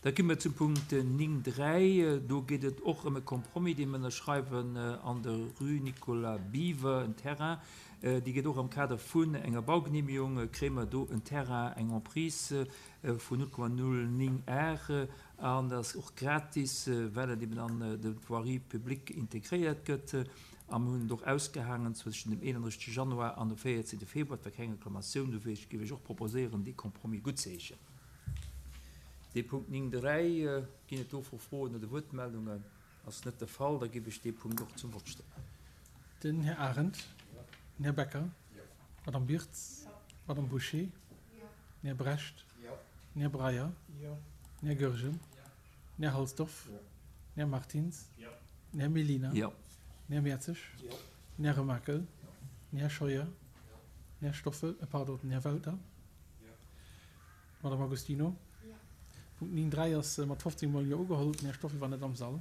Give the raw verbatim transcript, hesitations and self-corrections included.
Da gi mer zum Punkt néng dräi. Do geet et och ëm e Compromis, dee mer ënnerschreiwen an der Rue Nicolas Biver, en Terrain. Dee geet och am Kader vun enger Baugenehmigung, kréie mer do en Terrain, eng Emprise vun null Komma null néng Ar an dat ass och gratis, well et eben an de Voirie publique integréiert gëtt. A mir hunn et och ausgehaangen zwëschen dem eenanddrëssegste Januar an dem véierzehnte Februar. Et war keng Reklamatioun, dofir géif ech och proposéieren, dee Compromis guttzeheeschen. Dee Punkt néng dräi, ginn et dovru Froen oder Wuertmeldungen? Ass net de Fall, da géif ech dee Punkt och zum Vott stellen. Den Här Arendt. Den Här Becker. D'Madame Birtz. D'Madame Bouché. Den Här Brecht. Den Här Breyer. Den Här Goergen. Den Här Halsdorf. Den Här Martins. Den Här Mellina. Den Här Mertzig. Den Här Remakel. Den Här Scheuer. Den Här Stoffel, pardon, den Här Welter. D'Madame Agostino. Punkt néng dräi ass mat fofzéng Mol Jo ugeholl. Den Här Stoffel war net am Sall.